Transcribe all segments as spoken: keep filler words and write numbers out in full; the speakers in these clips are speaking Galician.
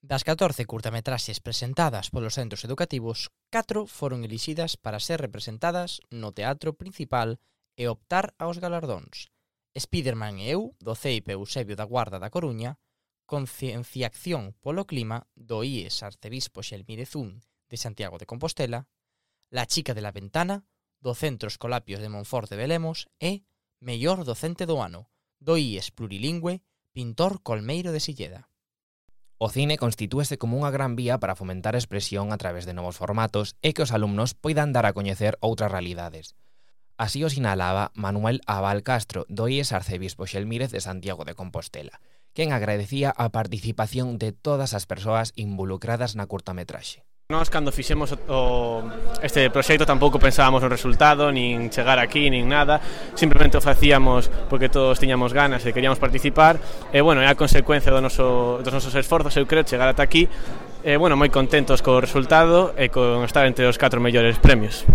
Das catorce curtametraxes presentadas polos centros educativos, catro foron elixidas para ser representadas no teatro principal e optar aos galardóns. Spiderman e eu, do C I P Eusebio da Guarda da Coruña, Concienciación polo clima, do I E S Arcebispo Xelmírez un de Santiago de Compostela, La chica de la ventana, do Centro Escolapios de Monforte de Lemos e Mellor docente do ano, do I E S Plurilingüe Pintor Colmeiro de Silleda. O cine constitúese como unha gran vía para fomentar a expresión a través de novos formatos e que os alumnos poidan dar a coñecer outras realidades. Así o sinalaba Manuel Abal Castro, do I E S Arcebispo Xelmírez de Santiago de Compostela, quen agradecía a participación de todas as persoas involucradas na curtametraxe. Nós, cando fixemos o, este proxecto, tampouco pensábamos no resultado, nin chegar aquí, nin nada. Simplemente o facíamos porque todos tiñamos ganas e queríamos participar. E, bueno, é a consecuencia do noso, dos nosos esforzos, eu creo, chegar ata aquí. E, bueno, moi contentos co resultado e con estar entre os catro mellores premios.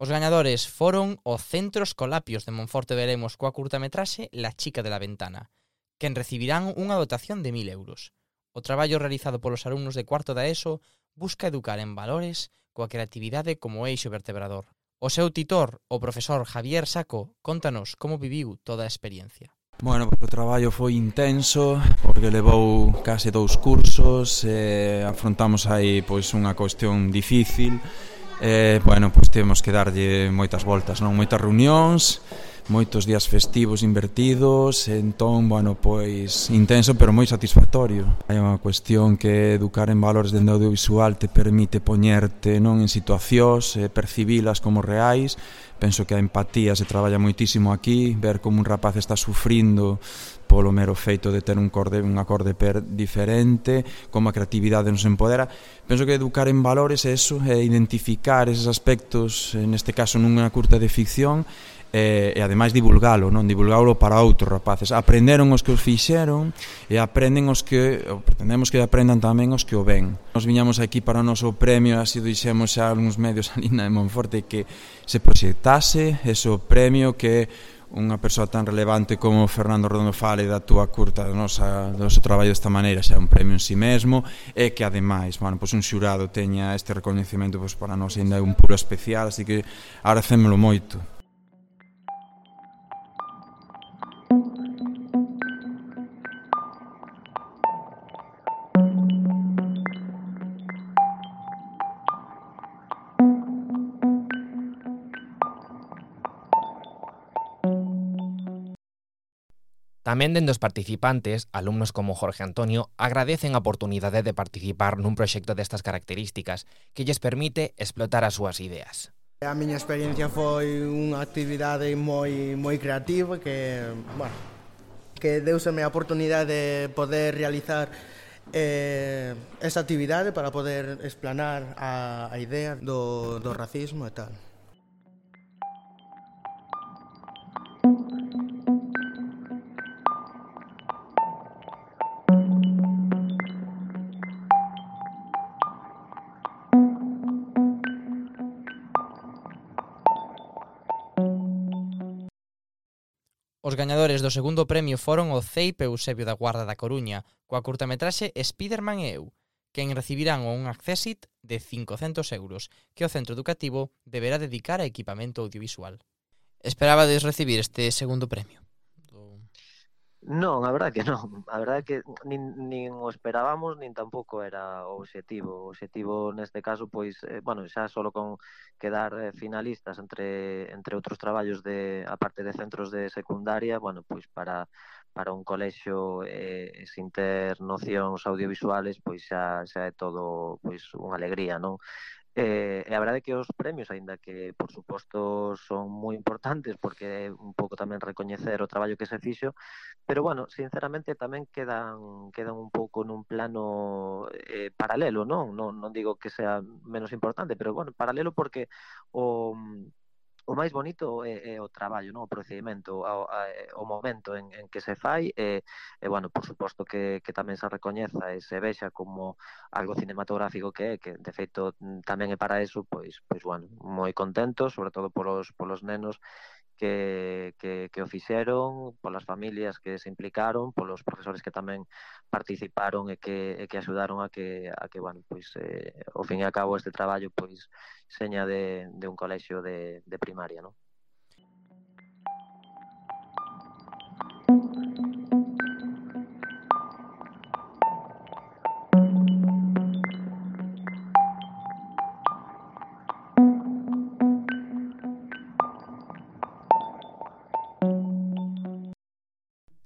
Os gañadores foron o Centro Escolapios de Monforte de Lemos coa curtametraxe La chica de la ventana, quen recibirán unha dotación de mil euros. O traballo realizado polos alumnos de cuarto da ESO busca educar en valores coa creatividade como eixo vertebrador. O seu titor, o profesor Javier Saco, contanos como viviu toda a experiencia. Bueno, pues o traballo foi intenso porque levou case dous cursos e afrontamos aí pois unha cuestión difícil. Eh, bueno, pois temos que darlle moitas voltas, non? Moitas reunións, moitos días festivos invertidos, entón, bueno, pois intenso pero moi satisfactorio. Hai unha cuestión que educar en valores dende audiovisual te permite poñerte non en situacións, eh, percibilas como reais. Penso que a empatía se traballa moitísimo aquí, ver como un rapaz está sufrindo polo mero feito de ter un acorde, un acorde per diferente, como a creatividade nos empodera. Penso que educar en valores é eso, é identificar eses aspectos, neste caso nunha curta de ficción, e, e ademais divulgalo, non? Divulgalo para outros rapaces. Aprenderon os que os fixeron e aprenden os que, ou pretendemos que aprendan tamén os que o ven. Nos viñamos aquí para o noso premio, así o dixemos xa algúns medios ali na de Monforte, que se proxectase ese premio que unha persoa tan relevante como Fernando Redondo fale da túa curta, do noso, do noso traballo desta maneira, xa un premio en si mesmo, e que ademais, bueno, pois un xurado teña este recoñecemento, pois para nós ainda é un puro especial, así que agradecémolo moito. Tamén dende os participantes, alumnos como Jorge Antonio agradecen a oportunidade de participar nun proxecto destas características que lles permite explotar as súas ideas. A miña experiencia foi unha actividade moi moi creativa que, bueno, que deuseme a oportunidade de poder realizar eh, esa actividade para poder explanar a, a idea do, do racismo e tal. Os gañadores do segundo premio foron o C I P Eusebio da Guarda da Coruña, coa curtametraxe Spiderman e eu, quen recibirán un accésit de cincocentos euros, que o centro educativo deberá dedicar a equipamento audiovisual. Esperabades recibir este segundo premio? Non, a verdade que non. A verdade que nin, nin o esperábamos, nin tampouco era o obxectivo. O obxectivo neste caso, pois, eh, bueno, xa solo con quedar eh, finalistas entre entre outros traballos de a parte de centros de secundaria, bueno, pois para para un colexio eh, sin ter nocións audiovisuales, pois xa xa é todo pois unha alegría, non? Eh, e a verdade é que os premios, aínda que por suposto son moi importantes porque é un pouco tamén recoñecer o traballo que se fixo, pero bueno, sinceramente tamén quedan quedan un pouco nun plano eh, paralelo, non? non? Non digo que sea menos importante, pero bueno, paralelo porque o o máis bonito é, é o traballo, non? O procedimento, o, o momento en, en que se fai e, e bueno, por suposto que, que tamén se recoñeza e se vexa como algo cinematográfico que é, que de feito tamén é para eso, pois, pois bueno, moi contento, sobre todo polos, polos nenos que, que, que o fixeron, polas familias que se implicaron, polos profesores que tamén participaron e que, e que axudaron a que, a que bueno, pois, eh, ao fin e a cabo este traballo pois seña de, de un colexio de, de primaria, non?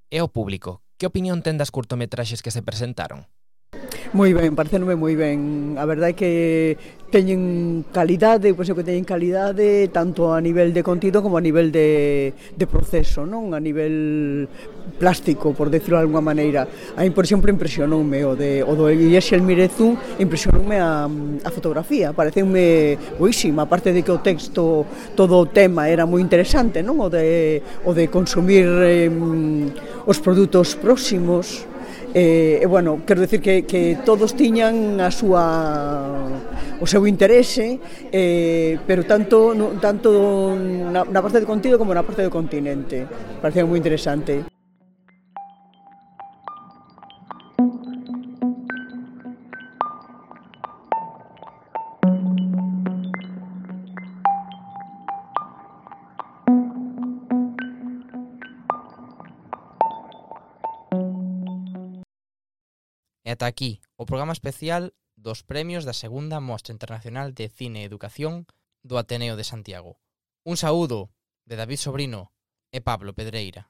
E o público, que opinión ten das curtometraxes que se presentaron? Moi ben, parecénome moi ben. A verdade é que teñen calidade, pois é que teñen calidade tanto a nivel de contido como a nivel de, de proceso, non? A nivel plástico, por decirlo de alguma maneira. A mí, por exemplo, impresionoume o, de, o do Ixel Mirezú, impresionoume a, a fotografía, pareceume boísima, aparte de que o texto, todo o tema era moi interesante, non? O de, o de consumir eh, os produtos próximos. E, e bueno, quero decir que, que todos tiñan a súa o seu interese, eh, pero tanto, no, tanto na, na parte de contido como na parte do continente. Parecía moi interesante. E ata aquí o programa especial dos premios da segunda Mostra Internacional de Cine e Educación do Ateneo de Santiago. Un saúdo de David Sobrino e Pablo Pedreira.